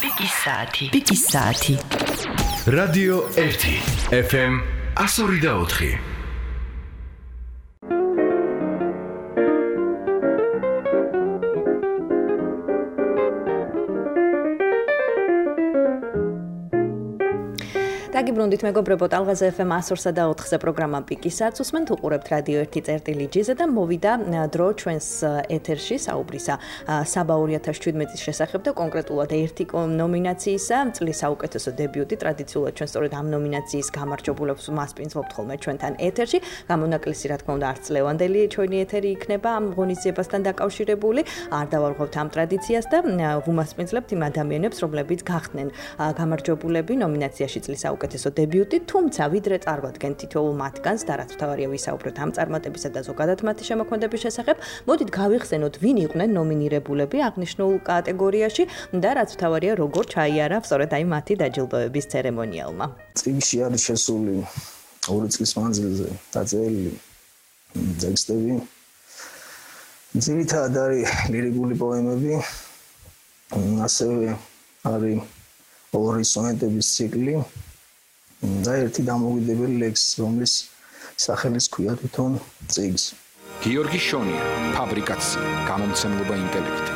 Piki Saati. Radio 1 FM 102.4. დაგიბრუნდით მეგობრებო, ტალღაზე FM 102.4-ზე პროგრამა პიკის საათს უსმენთ, უყურებთ რადიო 1.წერტილი-G-ზე და მოვიდა დრო ჩვენს ეთერში საუბრისა საბა 2017-ის შესახებ და კონკრეტულად ერთი ნომინაციისა, წლის საუკეთესო დებიუტი, ტრადიციულად ჩვენ სწორედ ამ ნომინაციის გამარჯვებულებს მასპინძლობთ ხოლმე ჩვენთან ეთერში. გამონაკლისი, რა თქმა უნდა, არც ლევანდელი ჩვენი ეთერი იქნება ამ ღონისძიებასთან დაკავშირებული. არ დავარღვევთ ამ ტრადიციას და ვუმასპინძლებთ იმ ადამიანებს, რომლებიც გახდნენ გამარჯვებულები ნომინაციაში წლის საუკეთესო დებიუტი, თუმცა ვიდრე წარვადგენ თითოეულ მათგანს და რაც თავარია ვისაუბროთ ამ წარმატებისა და ზოგადად მათი შემოქმედების შესახებ, მოდით გავიხსენოთ ვინ იყვნენ ნომინირებულები აღნიშნულ კატეგორიაში და რაც თავარია როგორ ჩაიარა სწორედ აი მათი დაჯილდოების ცერემონიალმა. წიგნში არის შესული 2 წლის მანძილზე დაწერილი ტექსტები. ძირითადად არის ლირიკული პოემები, ასევე არის 2 სონეტების ციკლი და ერთი დამოუკიდებელი ლექსი, რომლის სახელიც ქვია თვითონ წიგნს. გიორგი შონია, ფაბრიკაცია, გამომცემლობა ინტელექტი.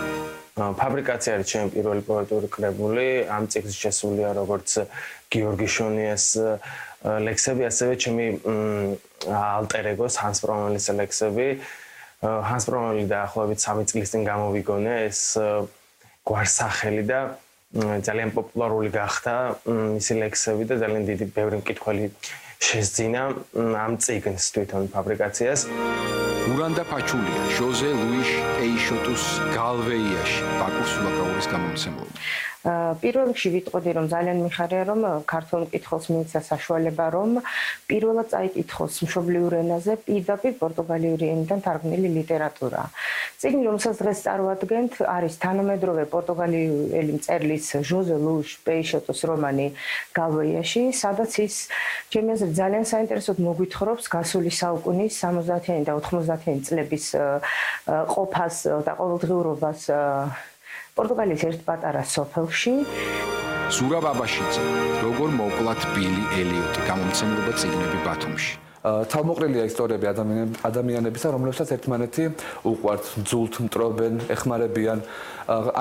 ფაბრიკაცია არის ჩემი პირველი პოეტური კრებული, ამ წიგნში შესულია როგორც გიორგი შონიას ლექსები, ასევე ჩემი ალტერ ეგოს ჰანს პრომელის ლექსები. ჰანს პრომელი დაახლოებით 3 წლის წინ გამოვიგონე ეს გვარსახელი და ძალიან პოპულარული გახდა მისი ლექსები და ძალიან დიდი ბევრი მკითხველი შესძინა ამ წიგნს თვითონ ფაბრიკაციას. ურანდა ფაჩულია, ჟოზე ლუიშ ეიშოტუს გალვეიაში, ბაკუს სულაკაურის გამომცემლობა. პირველ რიგში ვიტყოდი, რომ ძალიან მიხარია, რომ ქართულ მკითხველს მიეცა საშუალება, რომ პირველად წაიკითხოს მშობლიურ ენაზე პირდაპირ პორტუგალიური ენიდან თარგმნილი ლიტერატურა. წიგნი, რომელსაც დღეს წარვადგენთ, არის თანამედროვე პორტუგალიელი მწერლის ჟოზე ლუიშ პეიშოტუს რომანი გალვეიაში, სადაც ის ჩემი აზრით ძალიან საინტერესოდ მოგვითხრობს გასული საუკუნის 70-იანი და 90-იანი წლების ყოფას და ყოველდღიურობას პორტუგალიის ერთ პატარა სოფელში. ზურაბ აბაშიძე, როგორ მოკვლათ ბილი ელიოტი, გამომცემლობა წიგნები ბათუმში. თავმოყრილია ისტორიები ადამიანებისა, რომლებსაც ერთმანეთი უყვართ, ძულთ, მტრობენ, ეხმარებიან,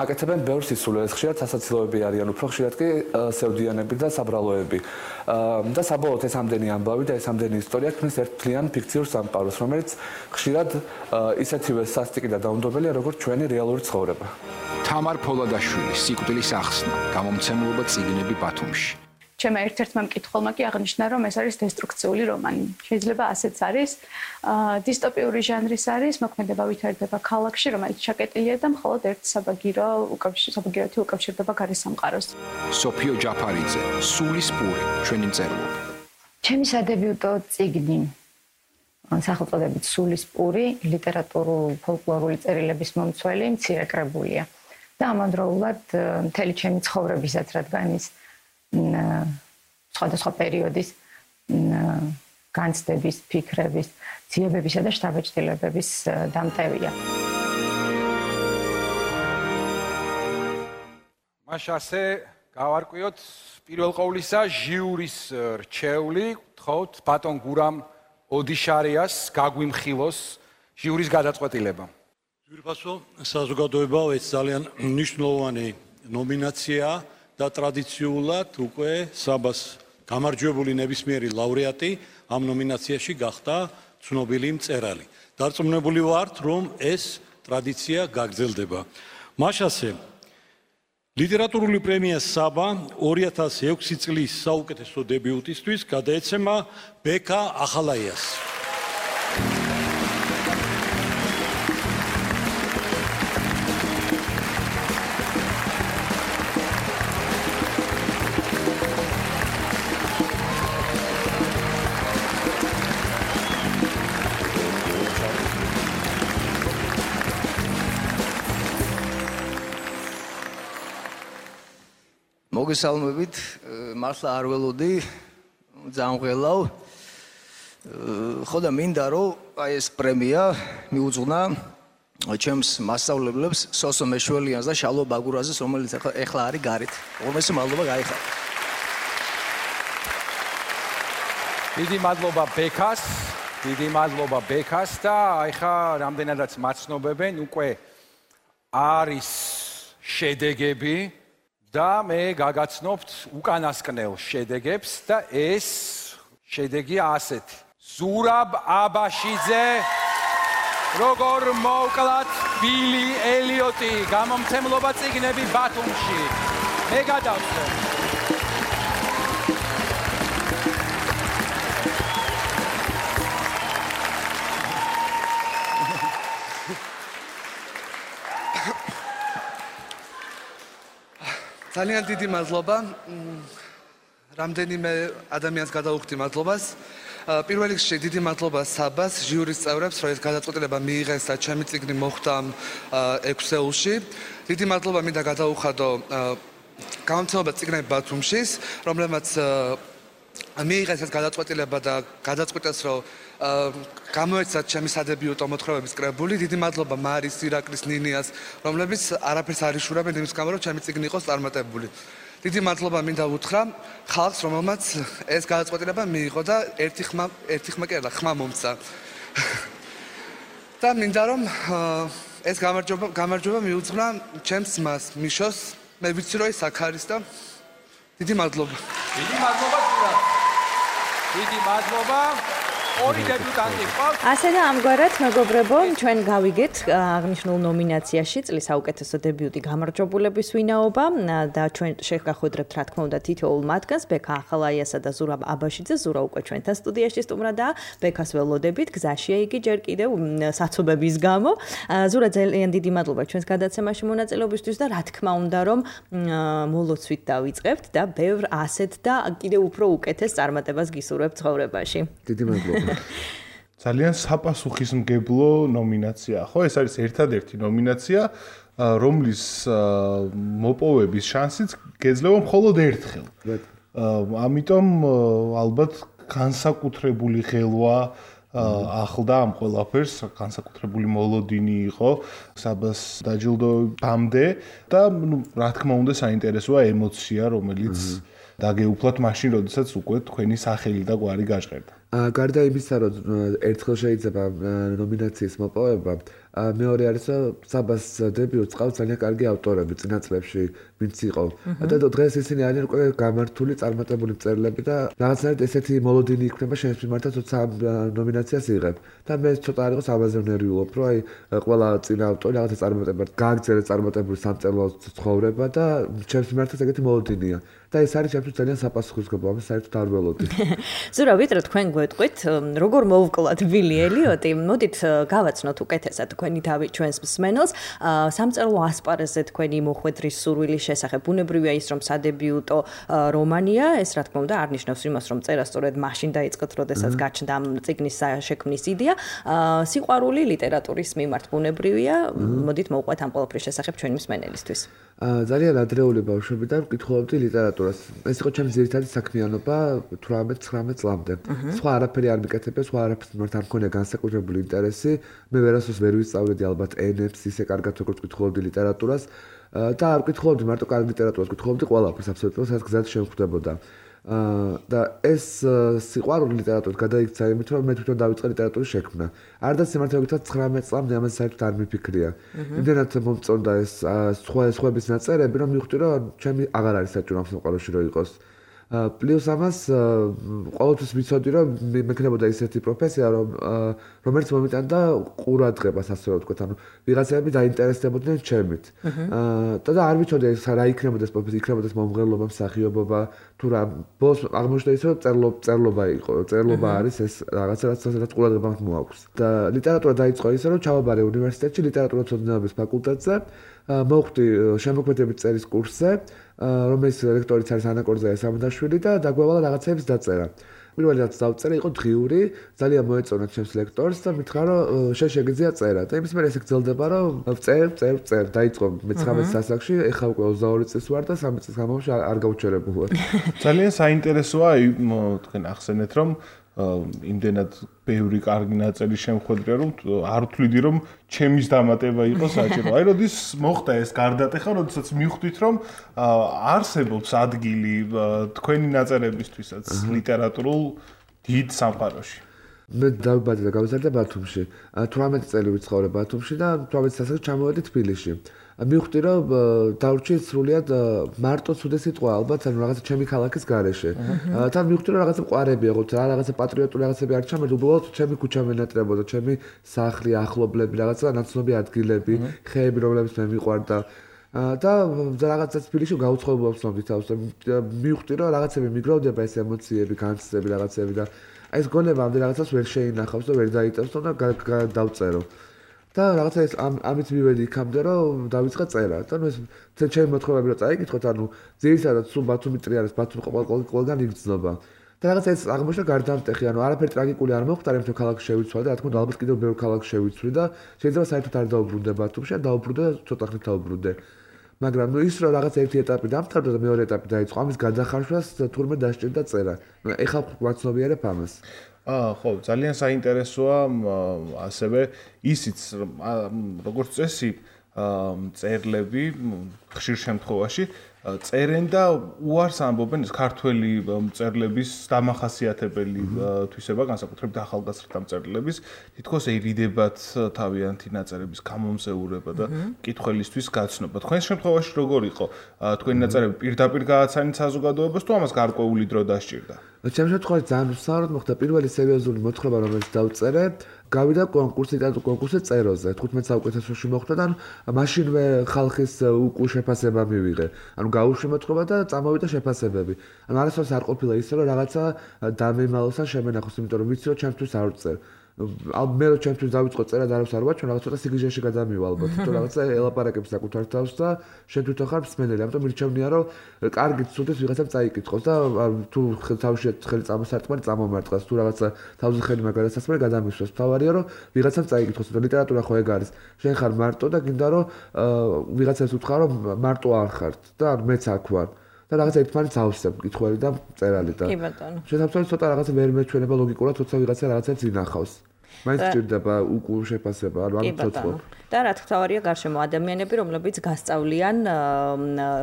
აკეთებენ ბევრ სისულელეს, ხშირად სასაცილოები არიან, უფრო ხშირად კი სევდიანები და საბრალოები. და საბოლოოდ ეს ამდენი ამბავი და ეს ამდენი ისტორია ქმნის ერთთლიან ფიქციურ სამყაროს, რომელიც ხშირად ისეთივე სასტიკი და დაუნდობელია, როგორც ჩვენი რეალური ცხოვრება. თამარ ფოლადაშვილი, სიკვდილის ახსნა, გამომცემლობა წიგნები ბათუმში. ჩემმა ერთ-ერთმა მკითხველმა კი აღნიშნა, რომ ეს არის დესტრუქციული რომანი. შეიძლება ასეც არის. დისტოპიური ჟანრის არის, მოქმედება ვითარდება ქალაქში, რომელიც ჩაკეტილია და მხოლოდ ერთ საბაგიროთი უკავშირდება გარე სამყაროს. სოფიო ჯაფარიძე, სულის პური, ჩვენი მწერლობა. ჩემი სადებიუტო წიგნი, სახელწოდებით სულის პური, ლიტერატურულ-ფოლკლორული წერილების მომცველი, მცირე კრებულია. და ამავდროულად მთელი ჩემი ცხოვრებისაც, რადგან ის სხვადასხვა პერიოდის განცდების, ფიქრების, ძიებებისა და შთაბეჭდილებების დამტევია. მაშ ასე გავარკვიოთ პირველ ყოვლისა ჟიურის რჩეული, გთხოვთ ბატონ გურამ ოდიშარიას გაგვიმხილოს ჟიურის გადაწყვეტილება. ძვირფასო საზოგადოებაო, ეს ძალიან მნიშვნელოვანი ნომინაციაა. და ტრადიციულად უკვე საბას გამარჯვებული ნებისმიერი ლაურეატი ამ ნომინაციაში გახდა ცნობილი მწერალი. დარწმუნებული ვართ, რომ ეს ტრადიცია გაგრძელდება. მაშასე ლიტერატურული პრემია საბა 2006 წლის საუკეთესო დებიუტისთვის გადაეცემა ბექა ახალაიას. მოგესალმებით, მართლა არ ველოდი, ძალიან გველავ. ხო და მინდა რომ აი ეს პრემია მიუძღვნა ჩემს მასწავლებლებს სოსო მეშველიანს და შალო ბაგურაძეს, რომელიც ეხლა არის გარეთ. უმეტესი მადლობა გაიხადა. დიდი მადლობა ბექას. დიდი მადლობა ბექას და ეხლა რამდენადაც მაცნობებენ უკვე არის შედეგები და მე გაგაცნობთ უკანასკნელ შედეგებს და ეს შედეგია ასეთი. ზურაბ აბაშიძე როგორ მოვკლათ ბილი ელიოტი გამომცემლობა წიგნები ბათუმში. მე გადავწევ. ძალიან დიდი მადლობა. რამდენიმე ადამიანს გადავუხდი მადლობას. პირველ რიგში დიდი მადლობა საბას, ჟიურის წევრებს, რომ ეს გადაწყვეტილება მიიღეს და ჩემი წიგნი მოხვდა 6 ეულში. დიდი მადლობა მინდა გადაუხადო გამომცემლობა წიგნები ბათუმშის, რომლებმაც მიიღეს ეს გადაწყვეტილება და გადაწყვიტეს, რომ გამოეცათ ჩემი სადებიუტო მოთხრობების კრებული. დიდი მადლობა მარის, ირაკლის, ნინიას, რომლებიც არაფერს არ იშურებენ იმის გამო, რომ ჩემი წიგნი იყოს წარმატებული. დიდი მადლობა მინდა უთხრა ხალხს, რომელმაც ეს გადაწყვეტილება მიიღო და ერთი ხმა კი არა, ხმა მომცა. და მინდა რომ ეს გამარჯვება მიუძღვნა ჩემს ძმას, მიშოს. მე ვიცი რომ ის აქ არის და დიდი მადლობა. დიდი მადლობა ზურაბ. დიდი მადლობა. ორი დებიუტანტი ყავს. ასე და ამგვარად მეგობრებო, ჩვენ გავიგეთ აღნიშნულ ნომინაციაში წლის საუკეთესო დებიუტი გამარჯვებულების ვინაობა და ჩვენ შეგახვედრებთ რა თქმა უნდა თითოეულ მათგანს, ბექა ახალაიასა და ზურაბ აბაშიძე. ზურა უკვე ჩვენთან სტუდიაში სტუმრადაა. ბექას ველოდებით გზაშია იგი ჯერ კიდევ საცობების გამო. ზურა ძალიან დიდი მადლობა ჩვენს გადაცემაში მონაწილეობისთვის და რა თქმა უნდა რომ მოლოცვით დავიწყებთ და ბევრ ასეთ და კიდევ უფრო უკეთეს წარმატებას გისურვებთ ცხოვრებაში. დიდი მადლობა. ძალიან საპასუხისმგებლო ნომინაცია, ხო? ეს არის ერთადერთი ნომინაცია, რომლის მოპოვების შანსიც გეძლევა მხოლოდ ერთხელ. ამიტომ ალბათ განსაკუთრებული ღელვა ახლდა ამ ყველაფერს, განსაკუთრებული მოლოდინი იყო საბას დაჯილდოებამდე და რა თქმა უნდა საინტერესოა ემოცია, რომელიც დაგეუფლათ მაშინ, როდესაც უკვე თქვენი სახელი და გვარი გაჟღერდა. გარდა იმისა, რომ ერთხელ შეიძლება ნომინაციის მოპოვება, მეორე არის, რომ საბას დებიუტს ყავს ძალიან კარგი ავტორები წინა წლებში, ვინც იყო. და დღეს ისინი არიან უკვე გამართული, წარმატებული მწერლები და რაღაცნაირად ესეთი მოლოდინი იქნება შენს მიმართაც, როცა ამ ნომინაციას იღებ. და მე ცოტა არ იყოს ამაზე ვნერვიულობ, რომ აი ყველა წინა ავტორი რაღაცა წარმატებად გააგრძელეს წარმატებული სამწერლო ცხოვრება და შენს მიმართაც ეგეთი მოლოდინია. და ეს არის ჩემთვის ძალიან საპასუხისმგებლო, ამას საერთოდ არ ველოდი. ზურა, ვიდრე თქვენ გვეტყვით, როგორ მოვკლათ ბილი ელიოტი, მოდით გავაცნოთ უკეთესად თქვენი თავი ჩვენს მსმენელს. სამწერლო ასპარეზზე თქვენი მოხვედრის სურვილის შესახებ. ბუნებრივია ის, რომ სადებიუტო რომანია, ეს რა თქმა უნდა არ ნიშნავს იმას, რომ წერა სწორედ მაშინ დაიწყეთ, როდესაც გაჩნდა ამ წიგნის შექმნის იდეა. სიყვარული ლიტერატურის მიმართ ბუნებრივია. მოდით მოვყვეთ ამ ყველაფრის შესახებ ჩვენი მსმენელისთვის. ძალიან ადრეული ბავშვობიდან ვკითხულობდი ლიტერატურას. ეს იყო ჩემი ძირითადი საქმიანობა 18-19 წლამდე. სხვა არაფერი არ მიკეთებია, სხვა არაფერს მიმართ არ მქონია განსაკუთრებული ინტერესი. მე ვერასდროს ვერ ვისწავლედი ალბათ ენებს, ისე კარგად როგორც ვკითხულობდი ლიტერატურას და არ ვკითხულობდი მარტო კარგ ლიტერატურას, ვკითხულობდი ყველაფერს აბსოლუტურად, სადაც გზად შემხვდებოდა. და ეს სიყვარული ლიტერატურით გადაიქცა იმით, რომ მე თვითონ დავიწყე ლიტერატურის შექმნა. არც სიმართლე გითხრათ 19 წლამდე ამაზე საერთოდ არ მიფიქრია. იმდენად მომწონდა ეს სხვების ნაწერები, რომ მივხვდი, რომ ჩემი აღარ არის საჭირო ამ სამყაროში რომ იყოს. პლუს ამას ყოველთვის ვიცოდი, რომ მექნებოდა ისეთი პროფესია, რომელიც მომიტანდა ყურადღებას, ასე რომ ვთქვათ, ანუ ვიღაცები დაინტერესდებოდნენ ჩემით. და არ ვიცოდი ეს რა იქნებოდა ეს პროფესია, იქნებოდა ეს მომღერლობა, მსახიობობა, თუ რა. ბოლოს აღმოჩნდა ის, რომ წერლობა იყო, წერლობა არის ეს რაღაცა, რაც ყურადღება მოაქვს. და ლიტერატურა დაიწყო ისე, რომ ჩავაბარე უნივერსიტეტში ლიტერატურათმცოდნეობის ფაკულტეტზე, მოვხვდი შემოქმედებით წერის კურსზე, რომელიც ლექტორიც არის ანა კორძაია სამდაშვილი და დაგვევალა რაღაცების დაწერა. პირველი რაც დავწერე იყო დღიური, ძალიან მოეწონა ჩემს ლექტორს და მითხრა რომ შენ შეგიძლია წერა. და იმის მერე ესე გრძელდება რომ წერ დაიწყო მე-19 სასახლში, ეხლა უკვე 22 წლის ვარ და 3 წლის განმავლობაში არ გავუჩერებულ ვარ. ძალიან საინტერესოა თქვენ ახსენეთ რომ იმდენად ბევრი კარგი ნაწილი შემხვედრია, რომ არ ვთვლიდი, რომ ჩემის დამატება იყო საჭირო. აი, როდის მოხდა ეს გარდატეხა, როდესაც მივხვდით, რომ არსებობს ადგილი თქვენი ნაწერებისთვისაც ლიტერატურულ დიდ სამყაროში. მე დავიბადე და გავიზარდე ბათუმში. 18 წელი ვიცხოვრე ბათუმში და 18 წელს ჩამოვედი თბილისში. მივხვდი, რომ დავრჩი სრულიად მარტო ცუდი სიტყვა ალბათ, ანუ რაღაცა ჩემი ქალაქის გარეშე. თან მივხვდი, რომ რაღაცა მყარები აღვთ, რაღაცა პატრიოტული რაღაცები არ ჩამერდა, უბრალოდ ჩემი ქუჩა მენატრებოდა, ჩემი სახლი, ახლობლები, რაღაცა ნაცნობი ადგილები, ხეები, რომლებიც მე მიყვარდა. და რაღაცა თბილისში გაუცხოებულობ ვცნობდი თავს და მივხვდი, რომ რაღაცები მიგროვდება ეს ემოციები, განცდები, რაღაცები და აი ეს გონება ამ რაღაცას ვერ შეინახავს და ვერ დაიტევს და დავწერო. და რაღაცა ეს ამით მივედი იქამდე რომ დავიწყე წერა. და ნუ ეს ჩემი მოთხრობები რომ წაიკითხოთ, ანუ ძირითადად სულ ბათუმი ტრიალის ბათუმი ყველგან იგრძნობა. და რაღაცა ეს აღმოჩნდა გარდამტეხი, ანუ არაფერი ტრაგიკული არ მოხდა, რამე ქალაქს შევიცვალე და რა თქმა უნდა ალბათ კიდევ ბევრ ქალაქს შევიცვლი და შეიძლება საერთოდ არ დაუბრუნდე ბათუმში, დაუბრუნდე ცოტა ხნით დაუბრუნდე. მაგრამ ნუ ის რომ რაღაც ერთი ეტაპი დამთავრდა და მეორე ეტაპი დაიწყო, ამის გადახარშვას თურმე დასჭირდა წერა. ეხლა გვაცნობიერებ ამას. ხო, ძალიან საინტერესოა ასევე ისიც როგორც წესი წერლები ხშირ შემთხვევაში წერენ და უარს ამბობენ ქართველი მწერლების დამახასიათებელი თვისება, განსაკუთრებით ახალგაზრდა მწერლების, თითქოს ერიდებათ თავიანთი ნაწერების გამომზეურება და მკითხველისთვის გაცნობა. თქვენს შემთხვევაში როგორ იყო? თქვენი ნაწერები პირდაპირ გააცანით საზოგადოებას თუ ამას გარკვეული დრო დასჭირდა? ჩემ შემთხვევაში ძალიან უსაუბრად მოხდა პირველი სერიოზული მოთხრობა, რომელიც დავწერე, გავიდა კონკურსი წეროზე 15 საუკეთესოში მოხდა და მაშინვე ხალხის უკუ შეფასება მივიღე. ანუ გაუშვი მოთხრობა და წამოვიდა შეფასებები. ანუ არასდროს არ ყოფილა ისე რომ რაღაცა დამემალოს ან შემენახოს, იმიტომ რომ ვიცი რომ ჩემთვის არ ვწერ. მე რომ ჩემთვის დავიწყო წერა და არავს არ ვაჩვენ, რაღაც ცოტა სიგიჟეში გადამივა ალბათ, თუ რაღაცა ელაპარაკებს საკუთარ თავს და შენ თვითონ ხარ მსმენელი, ამიტომ მირჩევნია რომ კარგი ცუდეს ვიღაცამ წაიკითხოს და თუ თავში ხელი წამოსარტყმარი წამომარტყას, თუ რაღაცა თავზე ხელი მაგალითად გადამისვას, თავარია რომ ვიღაცამ წაიკითხოს და ლიტერატურა ხო ეგ არის. შენ ხარ მარტო და გინდა რომ ვიღაცას უთხრა რომ მარტო არ ხართ და მეც აქ ვარ. და რაღაცა ერთმანეთს ავსებ მკითხველი და მწერალი და. კი ბატონო. შესაბამისად ცოტა რაღაცა ვერ მეჩვენება ლოგიკურად, თორსა ვიღაცა რაღაცებს ინახავს. მაინც ჭირდება უკუ შეფასება, ანუ ამ ცოცხლობ. და რა თქმა გარშემო ადამიანები, რომლებიც გასწავლიან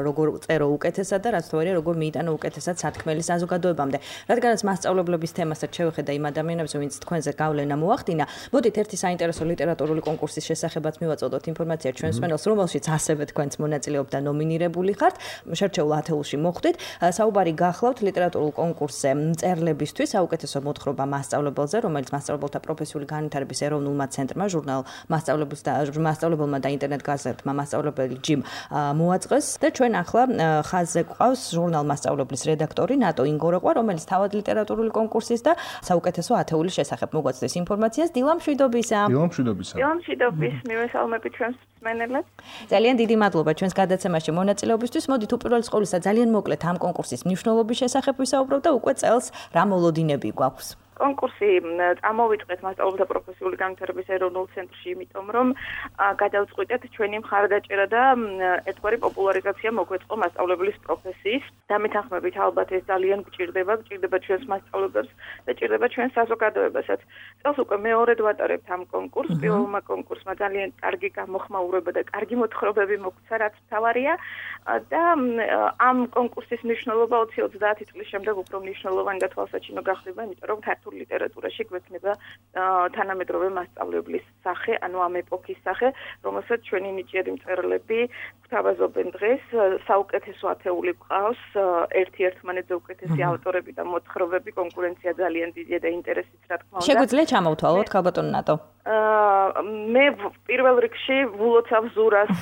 როგორ წერო უკეთესად და რა თქმა როგორ მიიტანო უკეთესად სათქმელი საზოგადოებამდე. რადგანაც მასწავლებლების თემასაც შევხედა იმ ადამიანებს, ვინც თქვენზე გავლენა მოახდინა, მოდით ერთი საინტერესო ლიტერატურული კონკურსის შესახებაც მივაწოდოთ ინფორმაცია ჩვენს მენელს, რომელშიც ასევე თქვენც მონაწილეობთ და ნომინირებული ხართ. შერჩეულ ათეულში მოხვდით. საუბარი გახლავთ ლიტერატურულ კონკურსზე მწერლებისთვის საუკეთესო მოთხრობა მასწავლებელზე, რომელიც მასწავლებელთა პროფესიული განვითარების ეროვნულმა ცენტრმა, ჟურნალ მასწავლებელმა და ინტერნეტ გაზეთმა მასწავლებელი ჯიმ მოაწყეს და ჩვენ ახლა ხაზზე გვყავს ჟურნალ მასწავლებლის რედაქტორი ნატო ინგოროყვა, რომელიც თავად ლიტერატურული კონკურსის და საუკეთესო ათეულის შესახებ მოგვაწვდის ინფორმაციას. დილამშვიდობისა. დილამშვიდობის, მივესალმებით ჩვენს მსმენელებს. ძალიან დიდი მადლობა ჩვენს გადაცემაში მონაწილეობისთვის. მოდით უპირველეს ყოვლისა ძალიან მოკლედ ამ კონკურსის მნიშვნელობის შესახებ ვისაუბროთ და უკვე წელს რა მოლოდინები გვაქვს. კონკურსი წამოვიწყეთ მასწავლებელთა პროფესიული განვითარების ეროვნულ ცენტრში, იმიტომ რომ გადავწყვიტეთ ჩვენი მხარდაჭერა და ერთგვარი პოპულარიზაცია მოგვეწყო მასწავლებლის პროფესიის. დამეთანხმებით ალბათ ეს ძალიან გჭირდება ჩვენს მასწავლებლებს და გჭირდება ჩვენს საზოგადოებასაც. წელს უკვე მეორედ ვატარებთ ამ კონკურსს. პირველმა კონკურსმა ძალიან კარგი გამოხმაურება და კარგი მოთხრობები მოგვცა, რაც მთავარია და ამ კონკურსის მნიშვნელობა 20-30 წლის შემდეგ უფრო მნიშვნელოვანი და თვალსაჩინო გახდება, იმიტომ რომ ქართულ ლიტერატურაში გვექნება თანამედროვე მასწავლებლის სახე, ანუ ამ ეპოქის სახე, რომელსაც ჩვენი ნიჭიერი მწერლები გვთავაზობენ დღეს. საუკეთესო ათეული გვყავს, ერთ-ერთმანეთზე უკეთესი ავტორები და მოთხრობები, კონკურენცია ძალიან დიდია და ინტერესიც რა თქმა უნდა. შეგვიძლია ჩამოვთვალოთ ქალბატონო ნატო? მე პირველ რიგში ვულოცავ ზურას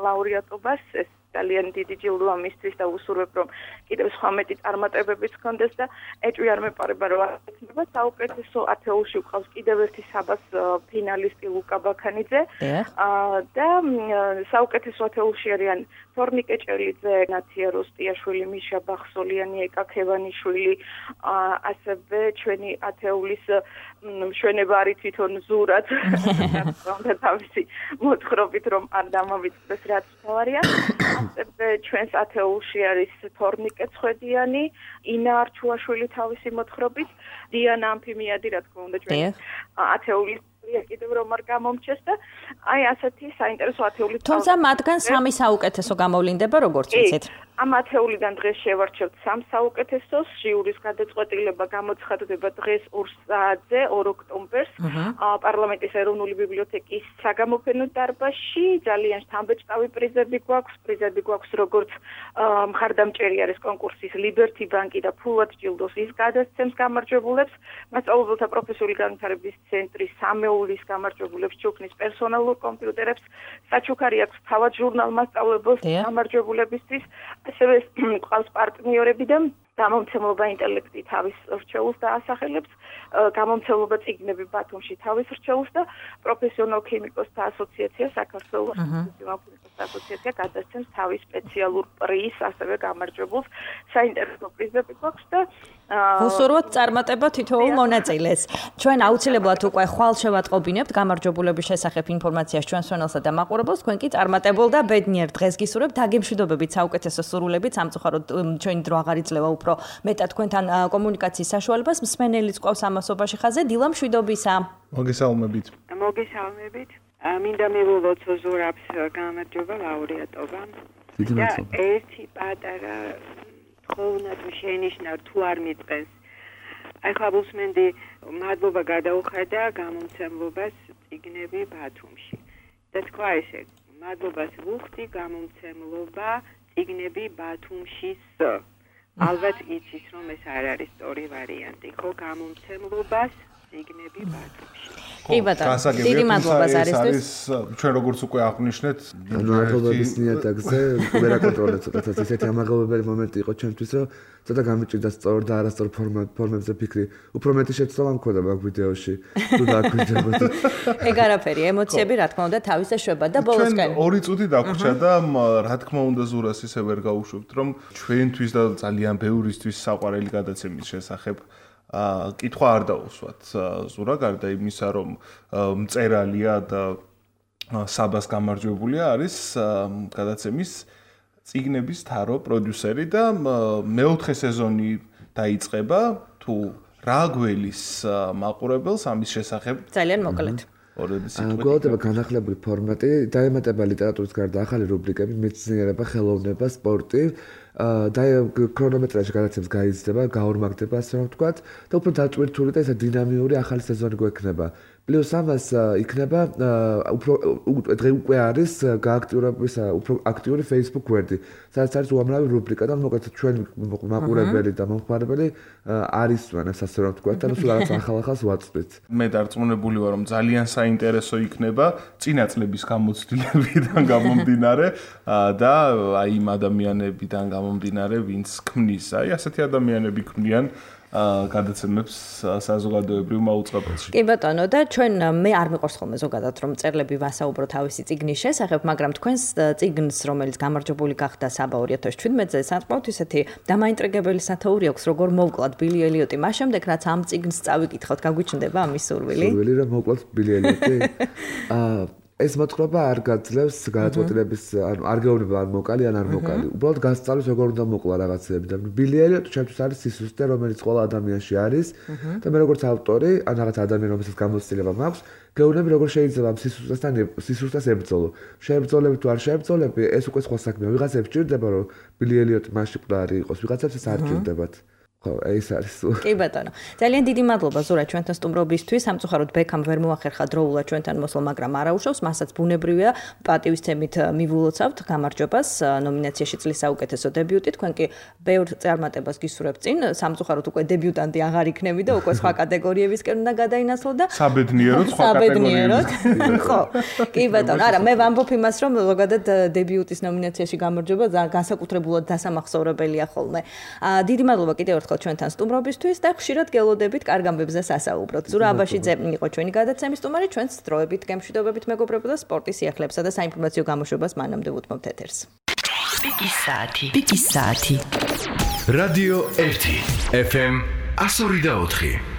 ლაურეატობას, ეს ძალიან დიდი ჯილდო ამისთვის და ვუსურვებ რომ კიდევ სხვა მეტი წარმატებებიც გქონდეს და ეჭვი არ მეპარება რომ აღიქმება. საუკეთესო ათეულში ვყავს კიდევ ერთი საბას ფინალისტი ლუკა ბაქანიძე და საუკეთესო ათეულში არიან თორნიკე ჭელიძე, ნათია როსტიაშვილი, მიშა ბახსოლიანი, ეკა ქევანიშვილი, ასევე ჩვენი ათეულის მშვენება არის თვითონ ზურად და თავისი მოთხრობით რომ არ დამოვიწყდეს რაც თავარია. მასწავლებლე ჩვენს ათეულში არის თორნიკე ცხედიანი, ინა არჩულაშვილი თავისი მოთხრობით, დიანა ამფიმიადი, რა თქმა უნდა, ჩვენ ათეულის კიდევ რომ არ გამომჩეს და აი ასეთი საინტერესო ათეული. თუმცა მათგან სამი საუკეთესო გამოვლინდება, როგორც ვიცით. ამ ათეულიდან დღეს შევარჩევთ სამ საუკეთესოს, ჟიურის გადაწყვეტილება გამოცხადდება დღეს 2 საათზე, 2 ოქტომბერს, პარლამენტის ეროვნული ბიბლიოთეკის საგამოფენო დარბაზში. ძალიან შთამბეჭდავი პრიზები გვაქვს, როგორც მხარდამჭერი არის კონკურსის Liberty Bank და ფულად ჯილდოს ის გადასცემს გამარჯვებულებს, მასწავლებელთა პროფესიული განვითარების ცენტრის სამეულის გამარჯვებულებს ჩუქნის პერსონალურ კომპიუტერებს, საჩუქარი აქვს თავად ჟურნალ მასწავლებელს გამარჯვებულებისთვის. ასევე ყავს პარტნიორები და გამომცემლობა ინტელექტი თავის რჩეულს დაასახელებს, გამომცემლობა წიგნები ბათუმში თავის რჩეულს და პროფესიონალ ქიმიკოსთა ასოციაცია საქართველოს ასოციაცია გადასცემს თავის სპეციალურ პრიზს, ასევე გამარჯვებულს. საინტერესო პრიზები გვაქვს და ვუსურვოთ წარმატება თითოეულ მონაწილეს. ჩვენ აუცილებლად უკვე ხვალ შევატყობინებთ გამარჯვებულების შესახებ ინფორმაციას ჩვენს ჩანელსა და მაყურებელს. თქვენ კი წარმატებულ და ბედნიერ დღეს გისურვებთ. დაგემშვიდობებით საუკეთესო სურვილებით. სამწუხაროდ ჩვენი დრო აღარ იძლევა უფრო მეტად თქვენთან კომუნიკაციის საშუალებას. მსმენელიც ყავს ამასობაში ხაზე. დილა მშვიდობისა. მოგესალმებით. მოგესალმებით. მინდა მივულოთ ზურაბს გამარჯობა ლაურეატობა. და ერთი პატარა ხოვნა თუ შენიშნავ თუ არ მიწყეს. ახლა უსმენდი მადლობა გადაუხადა გამომცემლობას წიგნები ბათუმში. და თქვა ესე, მადლობას ვუხდი გამომცემლობა წიგნები ბათუმშის. ალბათ იცის რომ ეს არ არის სწორი ვარიანტი, ხო გამომცემლობას წიგნები ბათუმში. კი ბატონო, დიდი მადლობა ზარისთვის. ჩვენ როგორც უკვე აღვნიშნეთ, მადლობის ნიადაგზე ვერ აკონტროლებ ცოტათაც ესეთი ამაღლობებელი მომენტი იყო ჩვენთვის, რომ ცოტა გამიჭირდა სწორ და არასწორ ფორმებზე ფიქრი. უფრო მეტი შეცდომა მქონდა მაგ ვიდეოში. თუ დაგვიჯერებოდ. ეგ არაფერი, ემოციები რა თქმა უნდა თავისე შვება და ბოლოსკენ. 2 წუთი დაგვრჩა და რა თქმა უნდა ზურას ისე ვერ გაუშვებთ, რომ ჩვენთვის და ძალიან ბევრისთვის საყვარელი გადაცემის შესახებ კითხვა არ დაუსვათ ზურა, გარდა იმისა, რომ მწერალია და საბას გამარჯვებულია, არის გადაცემის წიგნების თარო პროდიუსერი და მეოთხე სეზონი დაიწყება, თუ რა გველის მაყურებელს ამის შესახებ ძალიან მოკლედ. გველდება განახლებული ფორმატი, დაემატება ლიტერატურის გარდა ახალი რუბრიკები, მეცნიერება, ხელოვნება, სპორტი. და ქრონომეტრაჟი გადაცემს გაიზრდება, გაორმაგდება, ასე რომ ვთქვათ, და უფრო დაწვირთული და ესა დინამიური ახალი სეზონი გვექნება. პლუს ამას იქნება დღე უკვე არის გააქტიურების უფრო აქტიური Facebook გვერდი, სადაც არის უამრავი რუბრიკა და მოკლედ ჩვენ მაყურებელი და მომხმარებელი არისვენ, ასე რომ ვთქვათ, და სულ რაღაც ახალ-ახალს ვაწვდით. მე დარწმუნებული ვარ, რომ ძალიან საინტერესო იქნება წინა წლების გამოცდილებიდან გამომდინარე და აი იმ ადამიანებიდან გამომდინარე, ვინც ქმნის, აი ასეთი ადამიანები ქმნიან გადაცემებს საზოგადოებრივ მაუწყებელში. კი ბატონო, და ჩვენ მე არ მიყვარს ხოლმე ზოგადად რომ წერლები ვასაუბრო თავისი წიგნის შესახებ, მაგრამ თქვენს წიგნს, რომელიც გამარჯვებული გახდა საბა 2017-ზე, სანწყავთ ისეთი დამაინტრიგებელი სათაური აქვს, როგორ მოვკლათ ბილი ელიოტი. მას შემდეგ რაც ამ წიგნს წავიკითხავთ, გაგვიჩნდება ამის სურვილი? სურვილი რომ მოვკლათ ბილი ელიოტი? ეს მოთხრობა არ გაძლევს გადაწყვეტილების, არ გეუბნება ან მოკალი ან არ მოკალი. უბრალოდ გასწავლის როგორ უნდა მოკლა რაღაცები და ბილი ელიოტი ჩემთვის არის სისუსტე, რომელიც ყველა ადამიანში არის და მე როგორც ავტორი, ან რაღაც ადამიანი, რომელსაც გამოცდილება მაქვს, გეუბნები როგორ შეიძლება ამ სისუსტეს ებრძოლო. შეებრძოლები თუ არ შეებრძოლები, ეს უკვე სხვა საქმეა. ვიღაცებს ჭირდება რომ ბილი ელიოტი მასში მკვდარი იყოს, ვიღაცებს ეს არ ჭირდებათ. ეს არის. კი ბატონო. ძალიან დიდი მადლობა ზურა ჩვენთან სტუმრობისთვის. სამწუხაროდ ბექამ ვერ მოახერხა დროულად ჩვენთან მოსვლა, მაგრამ არაუშავს, მასაც ბუნებრივია პატივისცემით მივულოცავთ გამარჯვებას ნომინაციაში წლის საუკეთესო დებიუტი. თქვენ კი ბევრ წარმატებას გისურვებთ წინ. სამწუხაროდ უკვე დებიუტანტი აღარ იქნები და უკვე სხვა კატეგორიებისკენ უნდა გადაინაცვლო და საბედნიეროდ სხვა კატეგორიებისკენ. ხო. კი ბატონო, არა, მე ვამბობ იმას, რომ ზოგადად დებიუტის ნომინაციაში გამარჯვება განსაკუთრებულად დასამახსოვრებელია ხოლმე. დიდი მადლობა კიდევ ერთხელ ჩვენთან სტუმრობისთვის და ხშირად გელოდებით კარგ ამბებზე სასაუბროთ. ზურა აბაშიძე იყო ჩვენი გადაცემის სტუმარი, ჩვენს დროებით გემშვიდობებით მეგობრებო და სპორტის სიახლეებსა და საინფორმაციო გამოშვებას მანამდე ვუთმობთ ეთერს. პიკის საათი. რადიო 1 FM 102.4